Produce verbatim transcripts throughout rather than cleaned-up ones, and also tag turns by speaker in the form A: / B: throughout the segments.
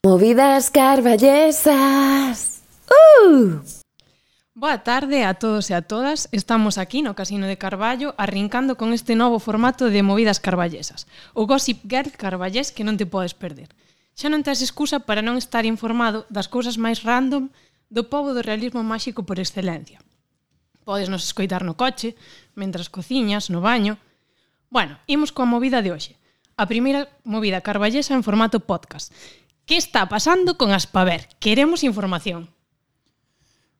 A: Movidas carballesas. Uh!
B: Boa tarde a todos e a todas. Estamos aquí no Casino de Carballo arrincando con este novo formato de Movidas Carballesas. O Gossip Girl carballés que non te podes perder. Xa non tes excusa para non estar informado das cousas máis random do pobo do realismo máxico por excelencia. Podes nos escoitar no coche, mentras cociñas, no baño. Bueno, imos coa movida de hoxe. A primeira movida carballesa en formato podcast. Que está pasando con Aspaver? Queremos información.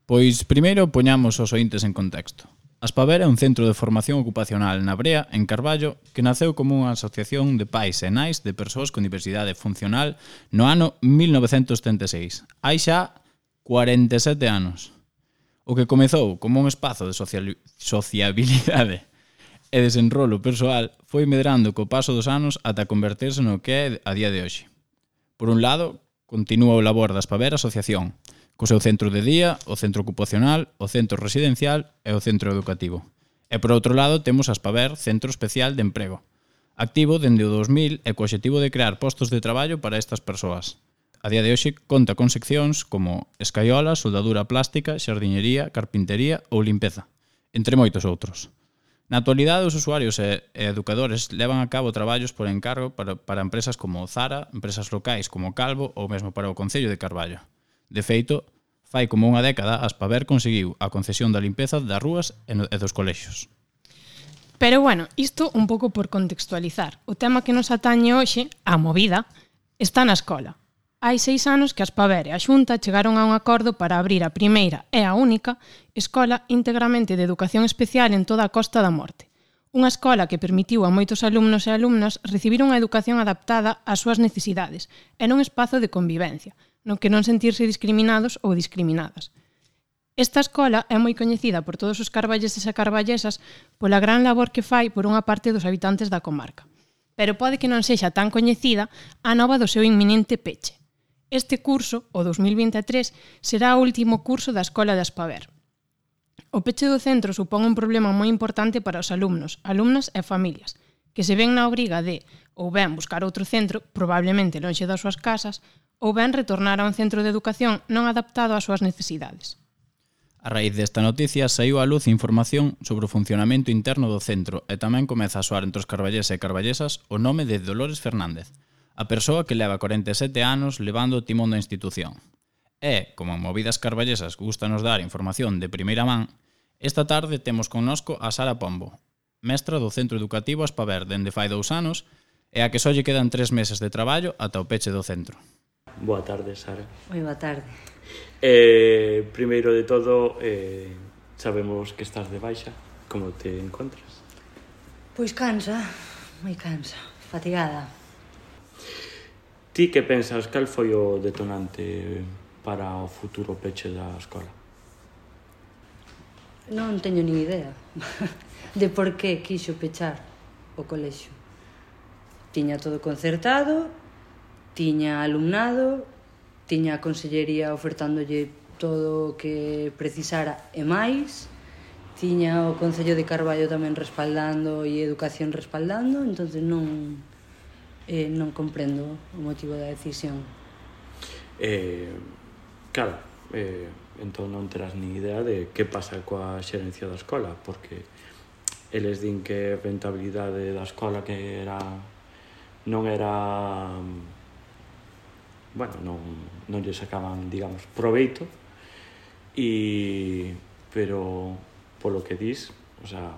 C: Pois primeiro poñamos os ointes en contexto. Aspaver é un centro de formación ocupacional na Brea, en Carballo, que naceu como unha asociación de pais e nais de persoas con diversidade funcional no ano mil novecentos setenta e seis. Hai xa cuarenta e sete anos. O que comezou como un espazo de social... sociabilidade e desenrolo persoal foi medrando co paso dos anos ata converterse no que é a día de hoxe. Por un lado, continúa o labor da Aspaver Asociación, co seu centro de día, o centro ocupacional, o centro residencial e o centro educativo. E por outro lado temos a Aspaver Centro Especial de Emprego, activo dende o dos mil e co obxectivo de crear postos de traballo para estas persoas. A día de hoxe conta con seccións como escaiola, soldadura plástica, xardiñería, carpintería ou limpeza, entre moitos outros. Na actualidade, os usuarios e, e educadores levan a cabo traballos por encargo para, para empresas como Zara, empresas locais como Calvo ou mesmo para o Concello de Carballo. De feito, fai como unha década, Aspaver conseguiu a concesión da limpeza das rúas e, no, e dos colexios.
B: Pero bueno, isto un pouco por contextualizar. O tema que nos atañe hoxe, a movida, está na escola. Hai seis anos que Aspaver e a Xunta chegaron a un acordo para abrir a primeira e a única escola íntegramente de educación especial en toda a Costa da Morte. Unha escola que permitiu a moitos alumnos e alumnas recibir unha educación adaptada ás súas necesidades e nun espazo de convivencia, no que non sentirse discriminados ou discriminadas. Esta escola é moi coñecida por todos os carballeses e carballesas pola gran labor que fai por unha parte dos habitantes da comarca. Pero pode que non sexa tan coñecida a nova do seu inminente peche. Este curso, o dos mil vinte e tres, será o último curso da Escola de Aspaver. O peche do centro supón un problema moi importante para os alumnos, alumnas e familias, que se ven na obriga de ou ben buscar outro centro, probablemente lonxe das súas casas, ou ben retornar a un centro de educación non adaptado ás súas necesidades.
C: A raíz desta noticia saiu á luz información sobre o funcionamento interno do centro e tamén comeza a soar entre os carballeses e carballesas o nome de Dolores Fernández, a persoa que leva corenta e sete anos levando o timón da institución. E, como en Movidas Carballesas gustanos dar información de primeira man, esta tarde temos connosco a Sara Pombo, mestra do Centro Educativo Aspaver dende fai dous anos e a que só lle quedan tres meses de traballo ata o peche do centro.
D: Boa tarde, Sara.
E: Moi boa tarde.
D: Eh, primeiro de todo, eh, sabemos que estás de baixa. Como te encontras?
E: Pois cansa, moi cansa, fatigada.
D: Ti que pensas, cal foi o detonante para o futuro peche da escola?
E: Non teño nin idea de por que quixo pechar o colexio. Tiña todo concertado, tiña alumnado, tiña a consellería ofertándolle todo o que precisara e máis, tiña o Concello de Carballo tamén respaldando e Educación respaldando, entonces non... Eh, non comprendo o motivo da decisión.
D: Eh, claro, eh, entón non terás ni idea de que pasa coa xerencia da escola, porque eles din que a rentabilidade da escola que era non era bueno, non, non lle sacaban, digamos, proveito, e pero polo que dis, o sea,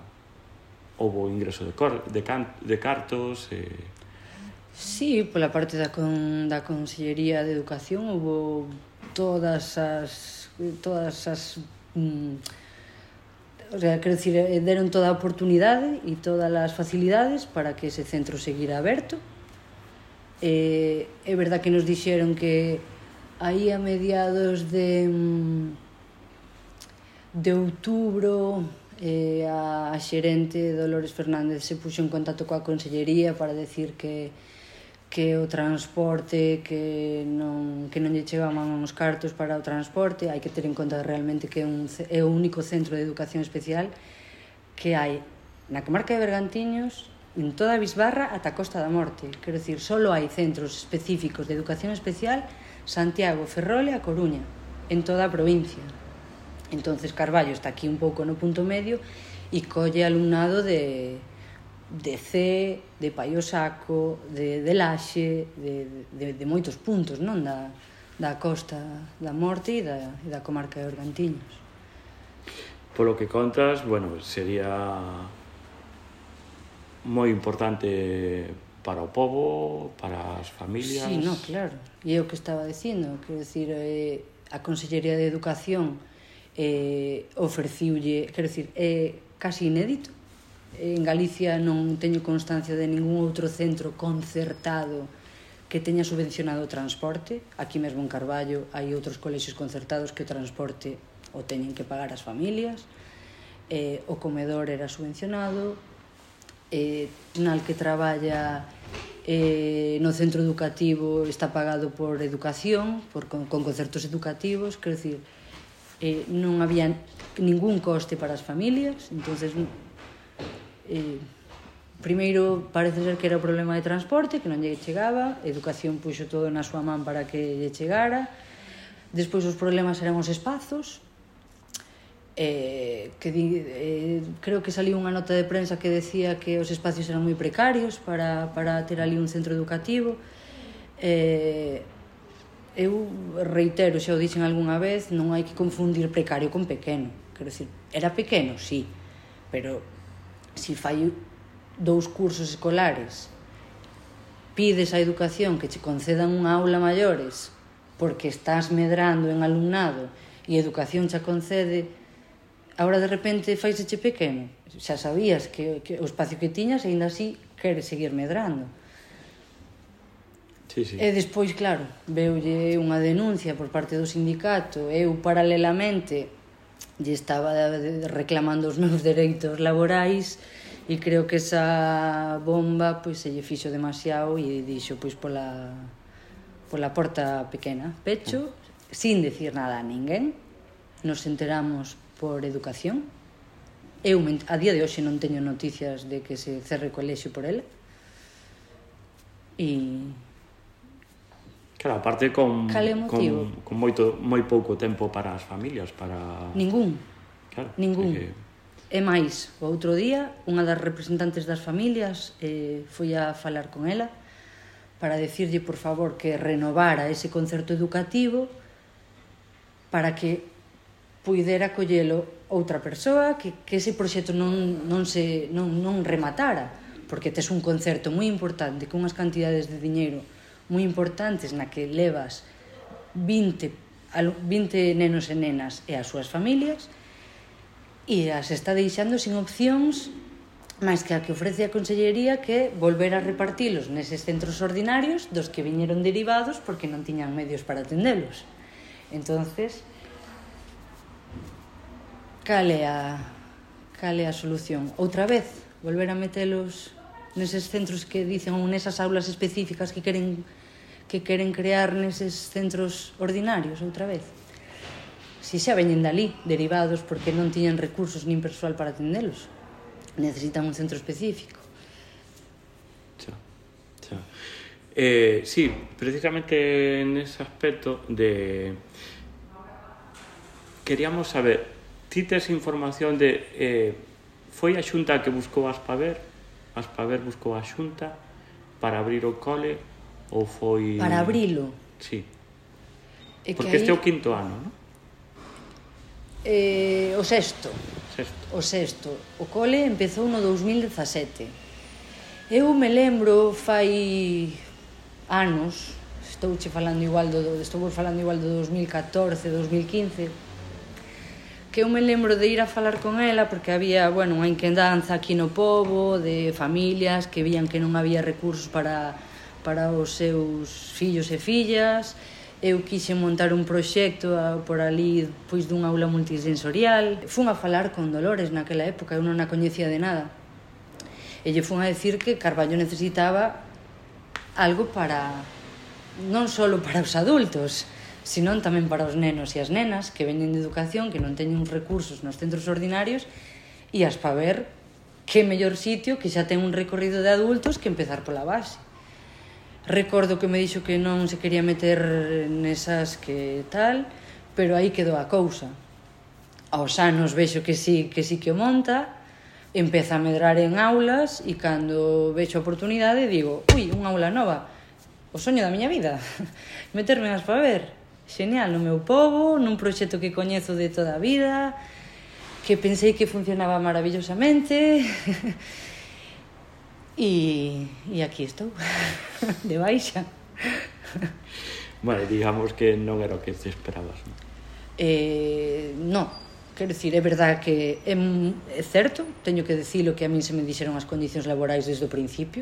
D: houbo ingreso de, cor, de, can, de cartos e eh,
E: Sí, pola parte da, con, da Consellería de Educación houve todas as todas as mm, o sea, quero dicir, deron toda a oportunidade e todas as facilidades para que ese centro seguira aberto. Eh, é verdad que nos dixeron que aí a mediados de de outubro eh, a xerente Dolores Fernández se puxo en contacto coa Consellería para decir que que o transporte, que non, que non lle chegaban os cartos para o transporte. Hai que ter en conta realmente que é, un, é o único centro de educación especial que hai na comarca de Bergantiños, en toda a Bisbarra ata a Costa da Morte. Quero dicir, só hai centros específicos de educación especial Santiago, Ferrol e A Coruña, en toda a provincia. Entonces Carballo está aquí un pouco no punto medio e colle alumnado de, de C, de Paio Saco, de, de Laxe, de, de, de moitos puntos, non? Da, da Costa da Morte e da, e da comarca de Organtiños.
D: Polo que contas, bueno, sería moi importante para o pobo, para as familias...
E: Sí, no, claro. E é o que estaba dicindo, quero dicir, eh, a Consellería de Educación eh, ofreciulle, quero dicir, é casi inédito. En Galicia non teño constancia de ningún outro centro concertado que teña subvencionado o transporte. Aquí mesmo en Carballo hai outros colexios concertados que o transporte o teñen que pagar as familias. Eh, o comedor era subvencionado. Eh, nal que traballa eh, no centro educativo está pagado por educación, por, con, con concertos educativos, quero dicir, eh, non había ningún coste para as familias. Entonces, eh, primeiro parece ser que era o problema de transporte, que non lle chegaba, a educación puxo todo na súa man para que lle chegara. Despois os problemas eran os espazos. Eh, que di, eh, creo que saliu unha nota de prensa que decía que os espacios eran moi precarios para, para ter ali un centro educativo. Eh, eu reitero, xa o dixen algunha vez, non hai que confundir precario con pequeno. Quero dicir, era pequeno, sí, pero si fai dous cursos escolares, pides a educación que che concedan unha aula maiores porque estás medrando en alumnado e a educación xa concede, agora de repente faiseche pequeno. Xa sabías que, que o espacio que tiñas e ainda así queres seguir medrando.
D: Sí, sí.
E: E despois, claro, veulle unha denuncia por parte do sindicato. Eu, paralelamente, lle estaba reclamando os meus dereitos laborais e creo que esa bomba pois, se lle fixo demasiado e dixo pois, pola, pola porta pequena. Pecho, sin decir nada a ninguén. Nos enteramos por educación. Eu, a día de hoxe, non teño noticias de que se cerre o colexio por ela. E...
D: Claro, aparte con,
E: con,
D: con moito, moi pouco tempo para as familias, para...
E: Ningún.
D: Claro.
E: Ningún.
D: Que...
E: É máis, o outro día, unha das representantes das familias eh, foi a falar con ela para decirlle, por favor, que renovara ese concerto educativo para que puidera collelo outra persoa, que, que ese proxecto non, non, se, non, non rematara, porque tes un concerto moi importante, con unhas cantidades de diñeiro moi importantes na que levas vinte, vinte nenos e nenas e as súas familias, e as está deixando sin opcións máis que a que ofrece a Consellería, que volver a repartilos neses centros ordinarios dos que viñeron derivados porque non tiñan medios para atendelos. Entonces, cal é a, cal é a solución? Outra vez, volver a metelos neses centros que dicen, ou nesas aulas específicas que queren, que queren crear neses centros ordinarios, outra vez. Si xa veñen dali, derivados, porque non tiñan recursos nin persoal para atendelos. Necesitan un centro específico.
D: Xa, xa. Eh, sí, precisamente en ese aspecto de... Queríamos saber... Ti tes información de... Eh, foi a Xunta que buscou a Aspaver? A Aspaver buscou a Xunta para abrir o cole? Ou foi...
E: Para abrilo?
D: Sí.
E: E
D: porque
E: aí...
D: este é o quinto ano, non?
E: Eh, o sexto.
D: Sexto.
E: O sexto. O cole empezou no dous mil dezasete. Eu me lembro fai anos, estouche falando igual do, estou falando igual do dous mil catorce, dous mil quince, que eu me lembro de ir a falar con ela porque había, bueno, unha inquedanza aquí no pobo de familias que vían que non había recursos para, para os seus fillos e fillas. Eu quixen montar un proxecto por ali, pois, dun aula multisensorial. Fun a falar con Dolores naquela época, eu non a coñecía de nada. E lle fun a decir que Carballo necesitaba algo para, non só para os adultos, senón tamén para os nenos e as nenas que veñen de educación, que non teñen recursos nos centros ordinarios, e as pa ver que mellor sitio que xa ten un recorrido de adultos que empezar pola base. Recordo que me dixo que non se quería meter nesas que tal, pero aí quedou a cousa. Aos anos vexo que sí que sí que o monta, empeza a medrar en aulas e cando vexo a oportunidade digo, ui, unha aula nova, o soño da miña vida, meterme nas para ver. Genial, no meu pobo, nun proxecto que coñezo de toda a vida, que pensei que funcionaba maravillosamente e, e aquí estou, de baixa.
D: Vale, digamos que non era o que te esperabas, non?
E: Eh, non, quero dicir, é verdad que é, é certo, teño que dicilo que a min se me dixeron as condicións laborais desde o principio.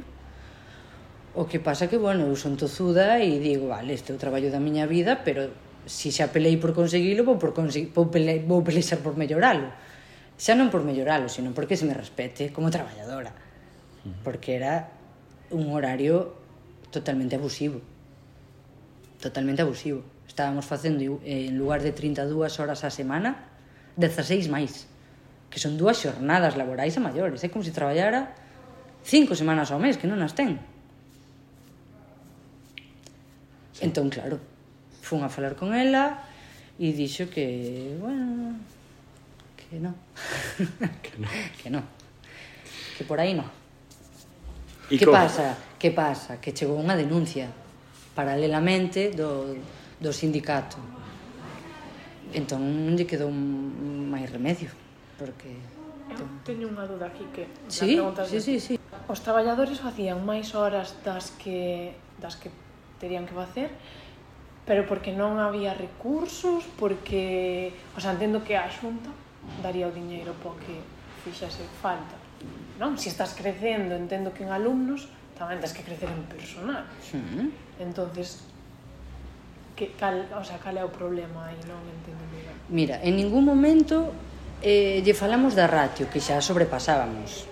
E: O que pasa que, bueno, eu son tozuda e digo, vale, este é o traballo da miña vida, pero se xa pelei por conseguilo, vou, por consegui, vou, pele, vou pelexar por melloralo. Xa non por melloralo, sino porque se me respete como traballadora. Porque era un horario totalmente abusivo. Totalmente abusivo. Estábamos facendo, en lugar de trinta e dúas horas á semana, dezaseis máis. Que son dúas xornadas laborais a maiores. É como se traballara cinco semanas ao mes, que non as ten. Entón, claro, fun a falar con ela e dixo que, bueno, que non.
D: Que non.
E: Que non. Que por aí non.
D: E
E: Que
D: como?
E: pasa? Que pasa? Que chegou unha denuncia paralelamente do, do sindicato. Entón non lle quedou máis remedio, porque...
F: Eu teño unha duda aquí que...
E: Sí,
F: preguntas
E: sí,
F: de-
E: sí, sí.
F: Os traballadores facían máis horas das que das que terían que facer, pero porque non había recursos, porque... O sea, entendo que a Xunta daría o diñeiro po que fixase falta, non? Se estás crecendo, entendo que en alumnos tamén tens que crecer en personal.
E: Sí.
F: Entonces, que, cal, o sea, cal é o problema aí? Non entendo moi ben.
E: Mira, en ningún momento eh, lle falamos da ratio, que xa sobrepasábamos.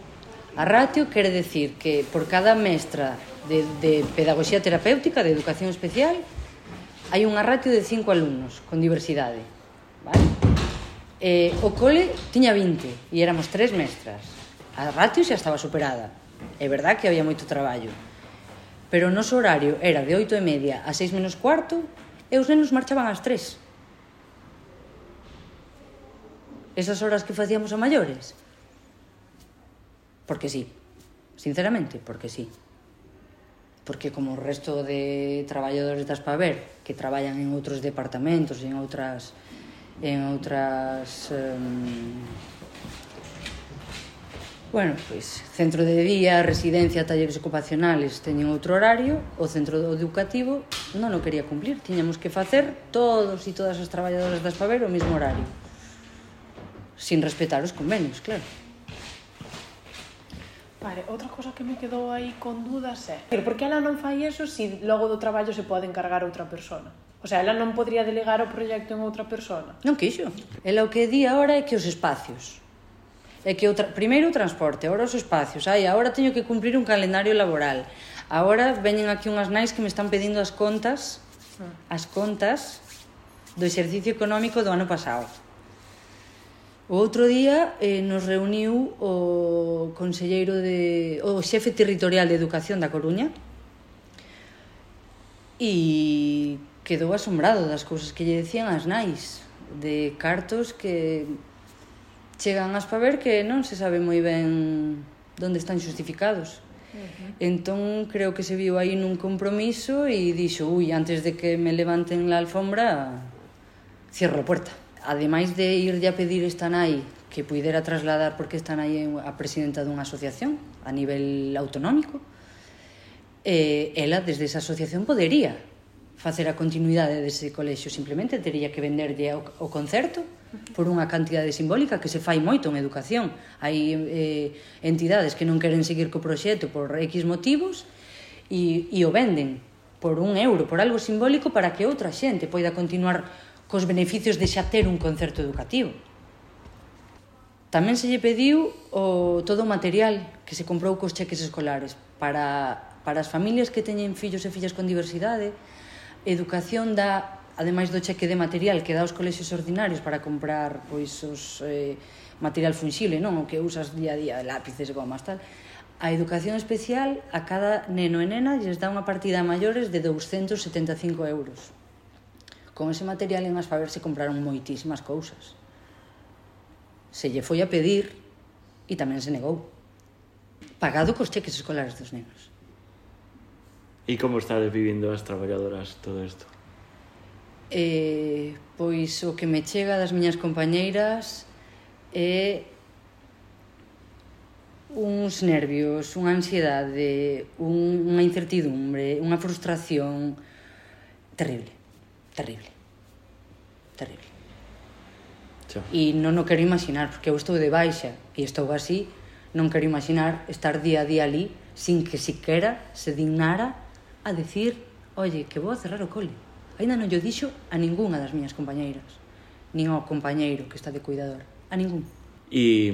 E: A ratio quere decir que por cada mestra de, de pedagogía terapéutica, de educación especial, hai unha ratio de cinco alumnos con diversidade. Vale? Eh, o cole tiña vinte e éramos tres mestras. A ratio xa estaba superada. É verdad que había moito traballo. Pero o noso horario era de oito e media a seis menos cuarto e os nenos marchaban ás tres. Esas horas que facíamos a maiores? Porque sí. Sinceramente, porque sí. Porque como o resto de traballadores das Paver que traballan en outros departamentos, en outras en outras um, bueno, pois centro de día, residencia, talleres ocupacionales teñen outro horario, o centro educativo non o quería cumplir, tiñamos que facer todos e todas as traballadoras das Paver o mesmo horario, sin respetar os convenios, claro.
F: Vale, outra cosa que me quedou aí con dudas é... Pero por que ela non fai eso se logo do traballo se pode encargar outra persona? O sea, ela non podría delegar o proxecto en outra persona?
E: Non quixo. Ela o que di agora é que os espacios. É que o tra... primeiro o transporte, agora os espacios. Ai, agora teño que cumprir un calendario laboral. Agora veñen aquí unhas nais que me están pedindo as contas, as contas do exercicio económico do ano pasado. O outro día eh, nos reuniu o conselleiro de... o xefe territorial de Educación da Coruña e quedou asombrado das cousas que lle decían as nais, de cartos que chegan as Paver que non se sabe moi ben onde están xustificados. Uh-huh. Entón creo que se viu aí nun compromiso e dixo, ui, antes de que me levanten la alfombra, cierro a puerta. Ademais de irlle a pedir esta nai que puidera trasladar, porque esta nai é a presidenta dunha asociación a nivel autonómico, eh, ela desde esa asociación podería facer a continuidade dese colexio, simplemente teria que venderlle o, o concerto por unha cantidade simbólica que se fai moito en educación. Hai eh, entidades que non queren seguir co proxecto por X motivos e, e o venden por un euro, por algo simbólico, para que outra xente poida continuar cos beneficios de xa ter un concerto educativo. Tamén se lle pediu o, todo o material que se comprou cos cheques escolares para, para as familias que teñen fillos e fillas con diversidade. Educación dá, ademais do cheque de material que dá aos colexios ordinarios para comprar pois os eh, material funxible, non o que usas día a día, lápices, gomas, tal, A educación especial, a cada neno e nena lles dá unha partida a maiores de douscentos setenta e cinco euros. Con ese material en Aspaver se compraron moitísimas cousas. Se lle foi a pedir e tamén se negou. Pagado cos cheques escolares dos nenos.
D: E como estades vivindo as traballadoras todo isto?
E: Eh, pois o que me chega das miñas compañeiras é uns nervios, unha ansiedade, un, unha incertidumbre, unha frustración terrible, terrible, terrible.
D: Xa.
E: E non o quero imaginar, porque eu estou de baixa e estou así, non quero imaginar estar día a día ali sin que siquera se dignara a decir, oye, que vou a cerrar o cole. Ainda non yo dixo a ningunha das miñas compañeiras, nin ao compañeiro que está de cuidador, a ningún.
D: E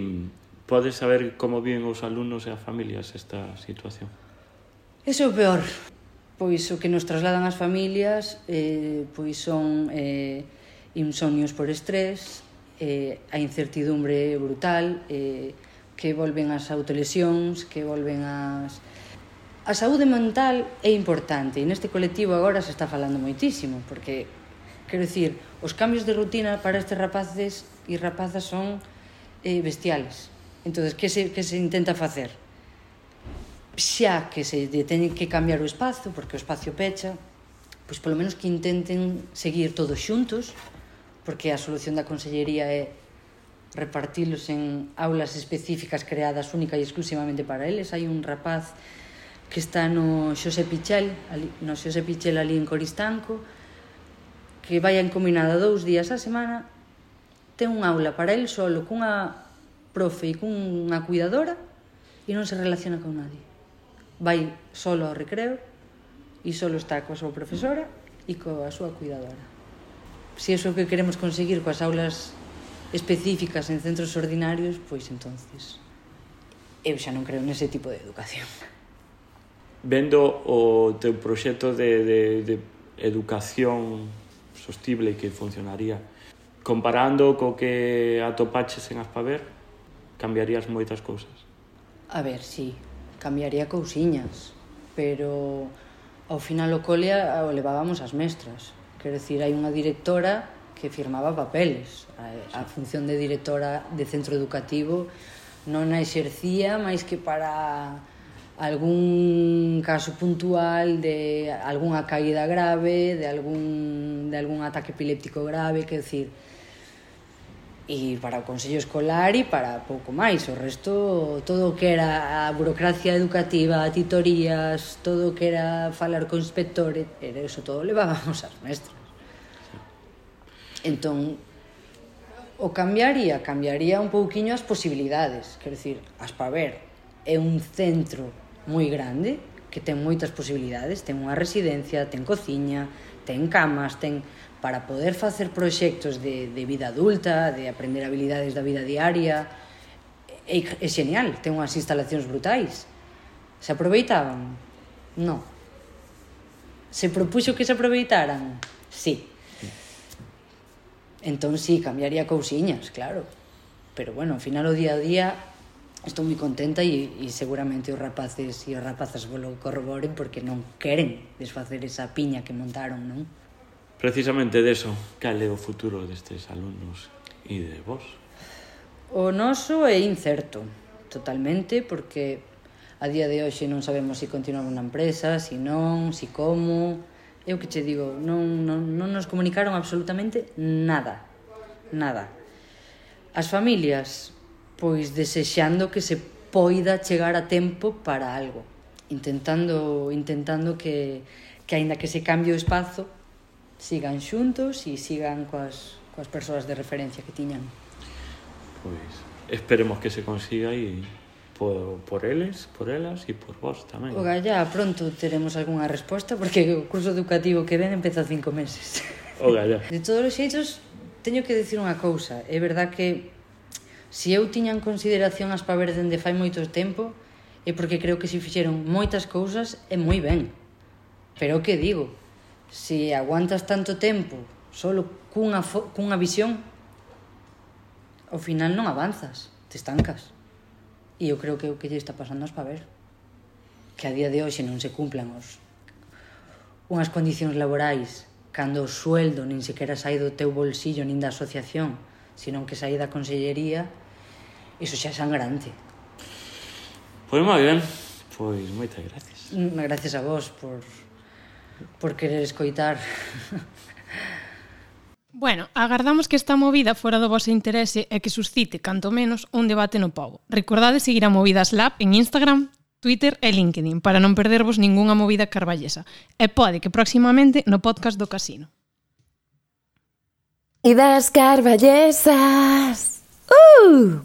D: podes saber como viven os alumnos e as familias esta situación?
E: Eso é o peor. Pois o que nos trasladan as familias eh, pois son eh, insomnios por estrés, eh, a incertidumbre brutal, eh, que volven as autolesións, que volven as... A saúde mental é importante e neste colectivo agora se está falando moitísimo porque, quero dicir, os cambios de rutina para estes rapaces e rapazas son eh, bestiales. Entonces, que se, que se intenta facer? Xa que se teñe que cambiar o espazo, porque o espacio pecha, pois polo menos que intenten seguir todos xuntos, porque a solución da Consellería é repartilos en aulas específicas creadas única e exclusivamente para eles. Hai un rapaz que está no Xosé Pichel, ali, no Xosé Pichel ali en Coristanco, que vai encominada dous días a semana, ten un aula para el solo, cunha profe e cunha cuidadora e non se relaciona con nadie. Vai solo ao recreo e solo está coa súa profesora e coa súa cuidadora. Se iso é o que queremos conseguir coas aulas específicas en centros ordinarios, pois entonces eu xa non creo nese tipo de educación.
D: Vendo o teu proxecto de, de, de educación sostible que funcionaría, comparando co que atopaches en Aspaver, cambiarías moitas cousas?
E: A ver, sí, cambiaría cousiñas, pero ao final o cole o levábamos as mestras. Quero dicir, hai unha directora que firmaba papeles. A, a función de directora de centro educativo non a exercía máis que para algún caso puntual de algunha caída grave, de algún, de algún ataque epiléptico grave, quero dicir, e para o Consello Escolar e para pouco máis. O resto, todo o que era a burocracia educativa, titorías, todo o que era falar co inspector, era eso todo levábamos as mestras. Entón, o cambiaría, cambiaría un pouquiño as posibilidades. Quero dicir, Aspaver é un centro moi grande, que ten moitas posibilidades, ten unha residencia, ten cociña, ten camas, ten... para poder facer proxectos de, de vida adulta, de aprender habilidades da vida diaria, é, é genial, ten unhas instalacións brutais. Se aproveitaban? Non. Se propuxo que se aproveitaran? Sí. Entón, sí, cambiaría cousiñas, claro. Pero, bueno, ao final, o día a día, estou moi contenta e, e seguramente os rapaces e as rapazas volo corroboren porque non queren desfacer esa piña que montaron, non?
D: Precisamente deso, cal é o futuro destes alumnos e de vos?
E: O noso é incerto, totalmente, porque a día de hoxe non sabemos se continuamos na empresa, se non, se como... Eu que che digo, non, non, non nos comunicaron absolutamente nada, nada. As familias, pois desexando que se poida chegar a tempo para algo, intentando intentando que, que aínda que se cambie o espazo, sigan xuntos e sigan coas, coas persoas de referencia que tiñan.
D: Pois esperemos que se consiga e por, por eles, por elas e por vos tamén.
E: O galla, pronto teremos algunha resposta porque o curso educativo que ven empeza cinco meses.
D: O galla.
E: De todos os xeitos, teño que decir unha cousa. É verdad que se eu tiña en consideración Aspaver dende fai moito tempo é porque creo que se fixeron moitas cousas e moi ben. Pero o que digo? Se aguantas tanto tempo solo cunha, cunha visión, ao final non avanzas, te estancas. E eu creo que o que lle está pasando aos Paver. Que a día de hoxe non se cumplan os, unhas condicións laborais cando o sueldo nin sequera sai do teu bolsillo nin da asociación, senón que sai da consellería, iso xa é sangrante.
D: Pois moi ben, pois moitas gracias.
E: Gracias a vos por, por querer escoitar.
B: Bueno, agardamos que esta movida fora do vosso interese e que suscite, canto menos, un debate no pobo. Recordade seguir a Movidas Lab en Instagram, Twitter e LinkedIn para non perdervos ningunha movida carballesa. E pode que próximamente no podcast do Casino.
A: Ideas carballesas. Uh!